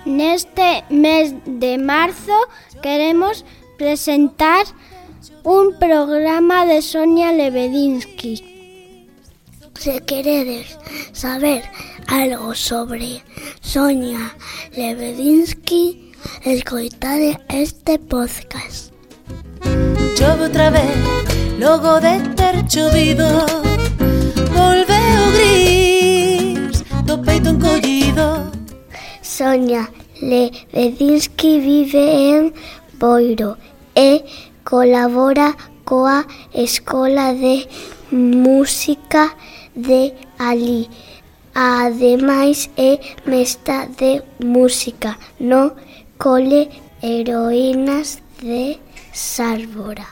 Neste mes de marzo queremos presentar un programa de Sonia Lebedinsky. Se queredes saber algo sobre Sonia Lebedinsky, escoitade este podcast. Chove outra vez, logo de ter chovido, volveu o gris do peito encollido. Sonia Lebedinsky vive en Boiro e colabora coa Escola de Música de alí. Ademais é mestra de música no Cole Heroínas de Sálvora.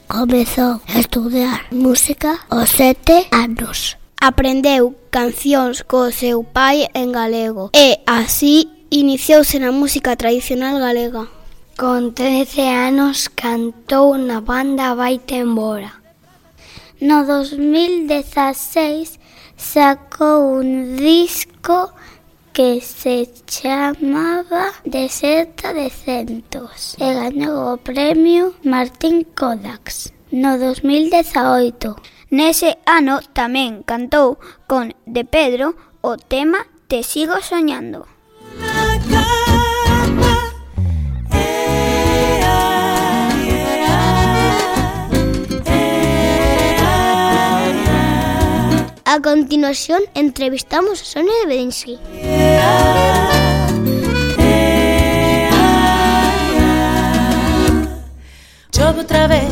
Comezou a estudar música aos 7 anos. Aprendeu cancións co seu pai en galego e así iniciouse na música tradicional galega. Con 13 anos cantou na banda Vaite Embora. No 2016 sacou un disco que se chamaba Deserta de Centos e gañou o premio Martín Kodax no 2018. Nese ano tamén cantou con De Pedro o tema Te sigo soñando. A continuación entrevistamos a Sonia Lebedinsky. Chove outra vez,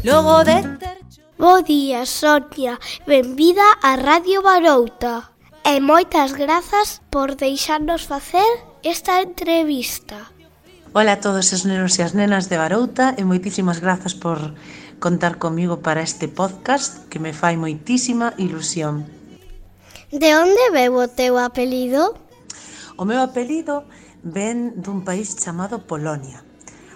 logo de ter... Bo día, Sonia. Benvida a Radio Barouta. E moitas grazas por deixarnos facer esta entrevista. Ola a todos os nenos e as nenas de Barouta e moitísimas grazas por contar comigo para este podcast que me fai moitísima ilusión. De onde veu o teu apelido? O meu apelido ven dun país chamado Polonia,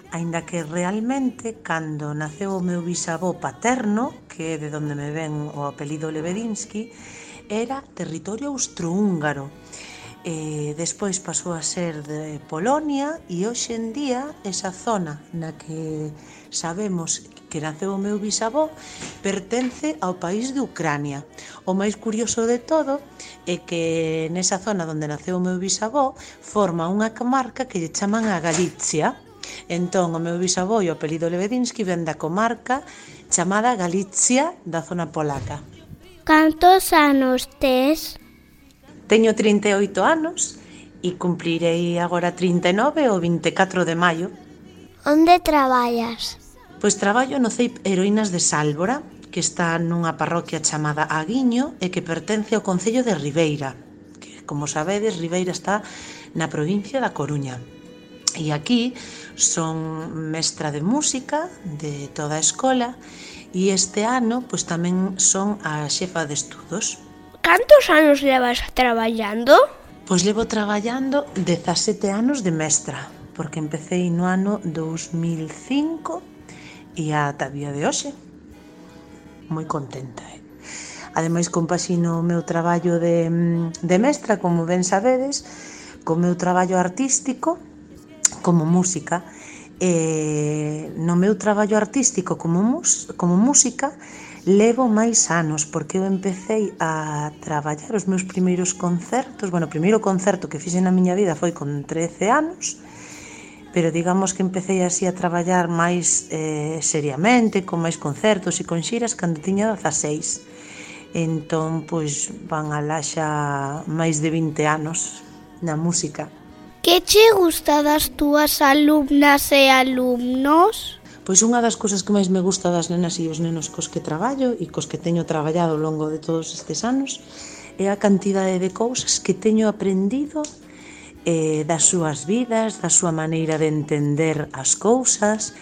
aínda que realmente cando naceu o meu bisavó paterno, que é de onde me ven o apelido Lebedinsky, era territorio austrohúngaro. Despois pasou a ser de Polonia e hoxe en día esa zona na que sabemos que naceu o meu bisavó pertence ao país de Ucrania. O máis curioso de todo é que nesa zona onde naceu o meu bisavó forma unha comarca que lle chaman a Galicia. Entón o meu bisavó e o apelido Lebedinsky ven da comarca chamada Galicia da zona polaca. Cantos anos tes? Teño 38 anos e cumplirei agora 39 o 24 de maio. Onde traballas? Pois traballo no CEIP Heroínas de Sálvora, que está nunha parroquia chamada Aguiño e que pertence ao concello de Ribeira, que, como sabedes, Ribeira está na provincia da Coruña. E aquí son mestra de música de toda a escola e este ano pois tamén son a xefa de estudos. Cantos anos levas traballando? Pois levo traballando 17 anos de mestra, porque empecéi no ano 2005 e ata día de hoxe. Moi contenta, Ademais, compaxino o meu traballo de mestra, como ben sabedes, co meu traballo artístico como música. No meu traballo artístico como música levo máis anos, porque eu empecéi a traballar os meus primeiros concertos. Bueno, o primeiro concerto que fixen na miña vida foi con 13 anos, pero digamos que empecéi así a traballar máis seriamente, con máis concertos e con xiras cando tiña 16. Entón, pois, van alá xa máis de 20 anos na música. Que che gusta das túas alumnas e alumnos? Pois unha das cousas que máis me gusta das nenas e os nenos cos que traballo e cos que teño traballado ao longo de todos estes anos é a cantidade de cousas que teño aprendido das súas vidas, da súa maneira de entender as cousas,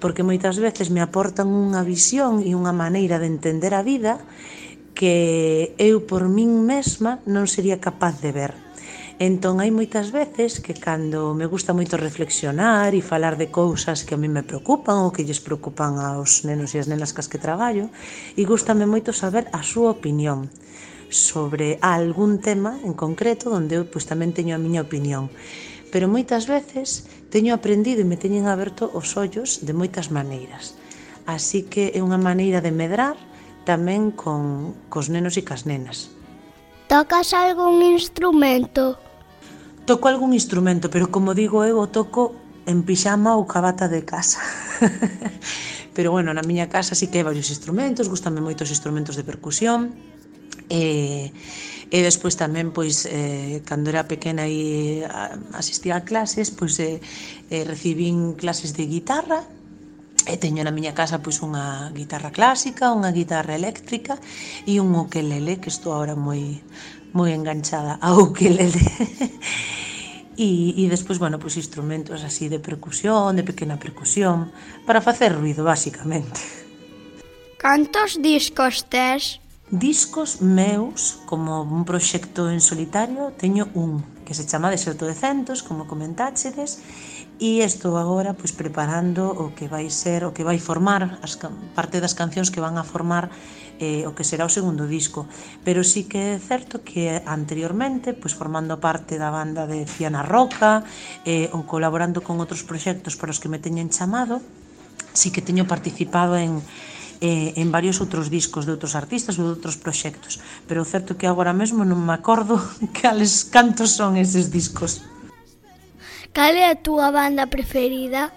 porque moitas veces me aportan unha visión e unha maneira de entender a vida que eu por min mesma non sería capaz de ver. Entón, hai moitas veces que cando me gusta moito reflexionar e falar de cousas que a mí me preocupan ou que lles preocupan aos nenos e as nenas cas que traballo, e gústame moito saber a súa opinión sobre algún tema en concreto onde eu pois, tamén teño a miña opinión. pero moitas veces teño aprendido e me teñen aberto os ollos de moitas maneiras. Así que é unha maneira de medrar tamén cos nenos e cas nenas. Tocas algún instrumento? Toco algún instrumento, pero como digo eu, o toco en pixama ou cabata de casa. Pero bueno, na miña casa sí que hai varios instrumentos, gústame moito os instrumentos de percusión. E despois tamén, pois, cando era pequena e asistía a clases, pois recibín clases de guitarra. E teño na miña casa pois unha guitarra clásica, unha guitarra eléctrica e un ukelele, que estou agora moi enganchada ao ukelele. E despois, bueno, pois instrumentos así de percusión, de pequena percusión, para facer ruido, basicamente. Cantos discos tes? Discos meus, como un proxecto en solitario, teño un, que se chama Deserto de Centos, como comentáchedes, e estou agora pois preparando o que vai ser, o que vai formar parte das cancións que van a formar o que será o segundo disco. Pero sí que é certo que anteriormente, pois formando parte da banda de Fiana Roca ou colaborando con outros proxectos para os que me teñen chamado, sí que teño participado en varios outros discos de outros artistas ou de outros proxectos, pero o certo é que agora mesmo non me acordo cantos son eses discos. Cal é a túa banda preferida?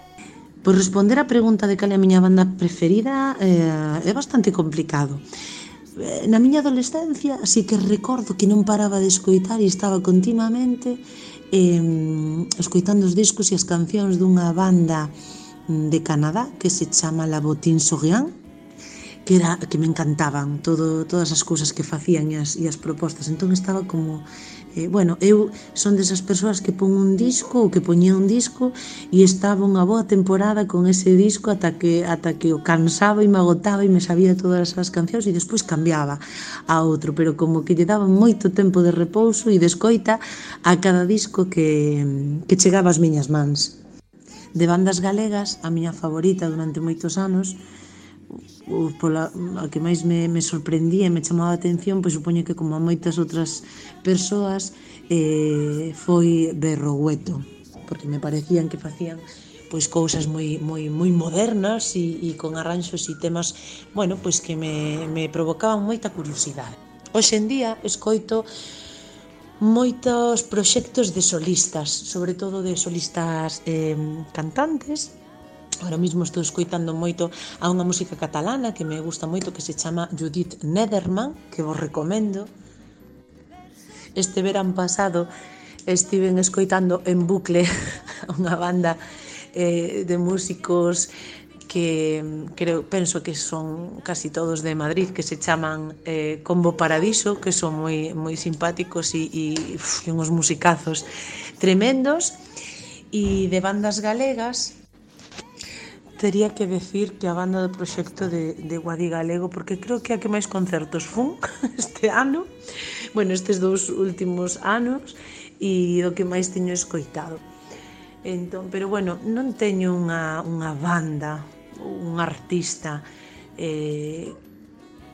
Por responder á pregunta de cal é a miña banda preferida é bastante complicado. Na miña adolescencia sí que recordo que non paraba de escoitar e estaba continuamente escoitando os discos e as cancións dunha banda de Canadá que se chama La Bottine-Souriant, que me encantaban todas as cousas que facían e as propostas. Entón estaba como eu son desas persoas que pon un disco ou que poñía un disco e estaba unha boa temporada con ese disco ata que o cansaba e me agotaba e me sabía todas as cancións e despois cambiaba a outro, pero como que lle daba moito tempo de repouso e de escoita a cada disco que chegaba ás miñas mans. De bandas galegas, a miña favorita durante moitos anos, a que máis me sorprendía e me chamaba a atención, pois supoño que como a moitas outras persoas, foi Berrogueto, porque me parecían que facían pois cousas moi modernas e con arranxos e temas, bueno, pois que me provocaban moita curiosidade. Hoxe en día escoito moitos proxectos de solistas, sobre todo de solistas cantantes. Ahora mesmo estou escoitando moito a unha música catalana que me gusta moito, que se chama Judith Nederman, que vos recomendo. Este verán pasado estiven escoitando en bucle unha banda de músicos que penso que son casi todos de Madrid, que se chaman Combo Paradiso, que son moi simpáticos e uns musicazos tremendos. E de bandas galegas tería que decir que a banda do proxecto de Guadi Galego, porque creo que a que máis concertos fun este ano, estes 2 últimos anos, e do que máis teño escoitado. Entón, pero non teño unha banda, un artista que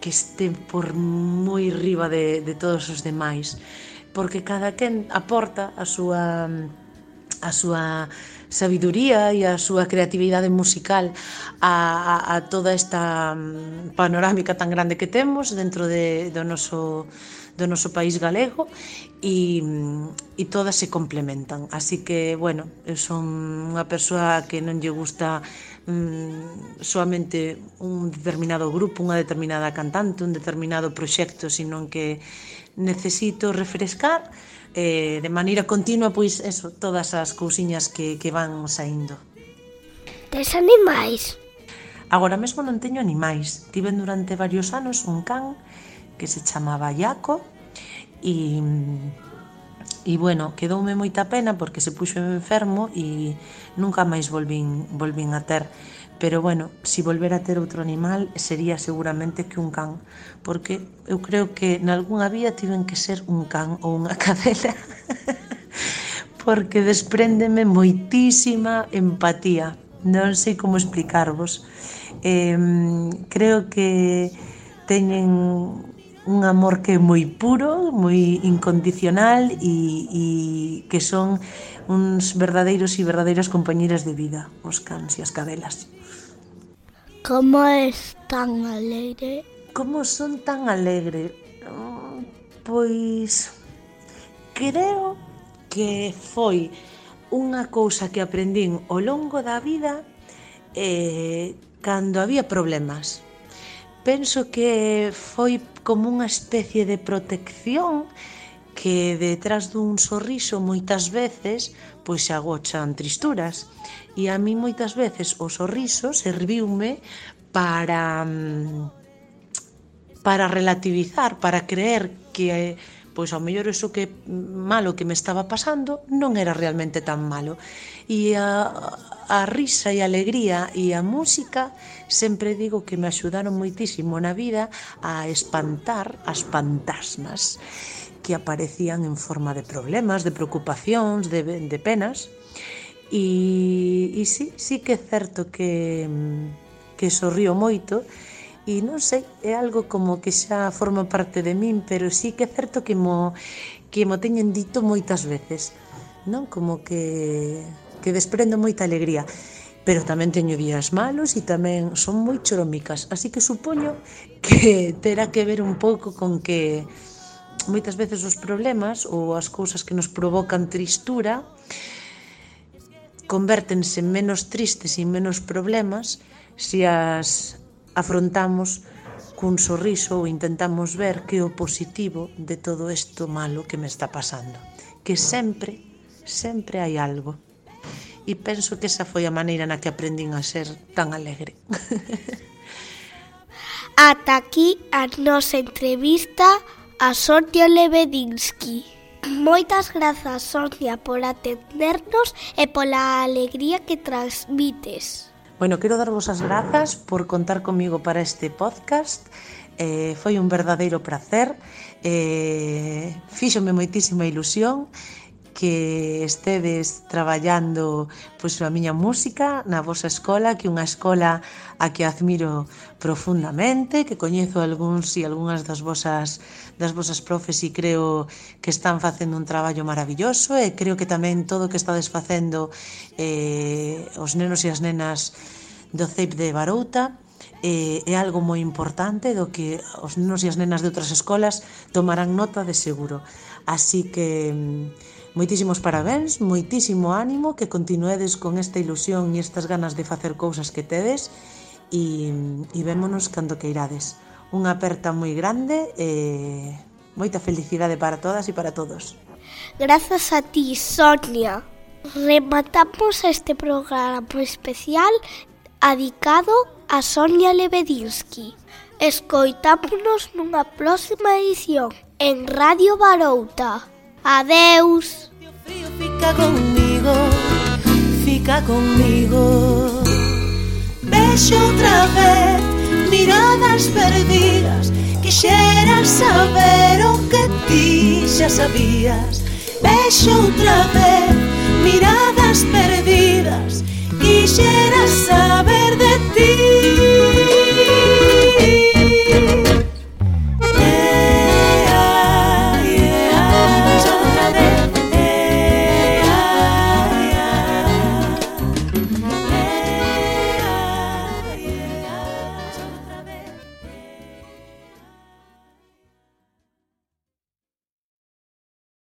este por moi riba de todos os demais, porque cada quen aporta a súa sabiduría e a súa creatividade musical a toda esta panorámica tan grande que temos dentro do noso país galego e todas se complementan. Así que, eu son unha persoa que non lle gusta soamente un determinado grupo, unha determinada cantante, un determinado proxecto, sino que necesito refrescar de maneira continua, pois eso, todas as cousiñas que van saindo. Tes animais? Agora mesmo non teño animais. Tiven durante varios anos un can que se chamaba Iaco e quedoume moita pena porque se puxo enfermo e nunca máis volvín a ter. Pero si volver a ter outro animal sería seguramente que un can, porque eu creo que nalgúnha vida tiven que ser un can ou unha cadela porque despréndeme moitísima empatía, non sei como explicarvos. Creo que teñen un amor que é moi puro, moi incondicional e que son uns verdadeiros e verdadeiras compañeras de vida, os cans e as cadelas. Como és tan alegre? Como son tan alegre? Pois creo que foi unha cousa que aprendín ao longo da vida cando había problemas. Penso que foi como unha especie de protección que detrás dun sorriso moitas veces pois se agochan tristuras, e a mí moitas veces o sorriso serviume para relativizar, para creer que pois ao mellor iso que malo que me estaba pasando non era realmente tan malo. E a risa e a alegría e a música sempre digo que me axudaron moitísimo na vida a espantar as fantasmas que aparecían en forma de problemas, de preocupacións, de penas. E sí que é certo que sorrío moito. E non sei, é algo como que xa forma parte de min, pero sí que é certo que mo teñen dito moitas veces, non? Como que desprendo moita alegría, pero tamén teño días malos e tamén son moi choromicas, así que supoño que terá que ver un pouco con que moitas veces os problemas ou as cousas que nos provocan tristura convértense en menos tristes e menos problemas se as afrontamos cun sorriso ou intentamos ver que é o positivo de todo isto malo que me está pasando, que sempre hai algo, e penso que esa foi a maneira na que aprendín a ser tan alegre. Ata aquí a nosa entrevista a Sonia Lebedinsky. Moitas grazas, Sonia, por atendernos e pola alegría que transmites. Bueno, quero darvos as grazas por contar comigo para este podcast. Foi un verdadeiro placer. Fíxome moitísima ilusión que estedes traballando pois a miña música na vosa escola, que é unha escola a que admiro profundamente, que coñezo algúns e algunhas das vosas profes e creo que están facendo un traballo maravilloso, e creo que tamén todo o que estades facendo os nenos e as nenas do CEIP de Barouta é algo moi importante do que os nenos e as nenas de outras escolas tomarán nota de seguro. Así que moitísimos parabéns, moitísimo ánimo, que continuedes con esta ilusión e estas ganas de facer cousas que tedes, e vémonos cando que irades. Unha aperta moi grande e moita felicidade para todas e para todos. Grazas a ti, Sonia. Rematamos este programa especial dedicado a Sonia Lebedinsky. Escoitámonos nunha próxima edición en Radio Barouta. Adeus. Frío, fica conmigo. Vexo outra vez miradas perdidas. Quixera saber o que ti xa sabías. Vexo outra vez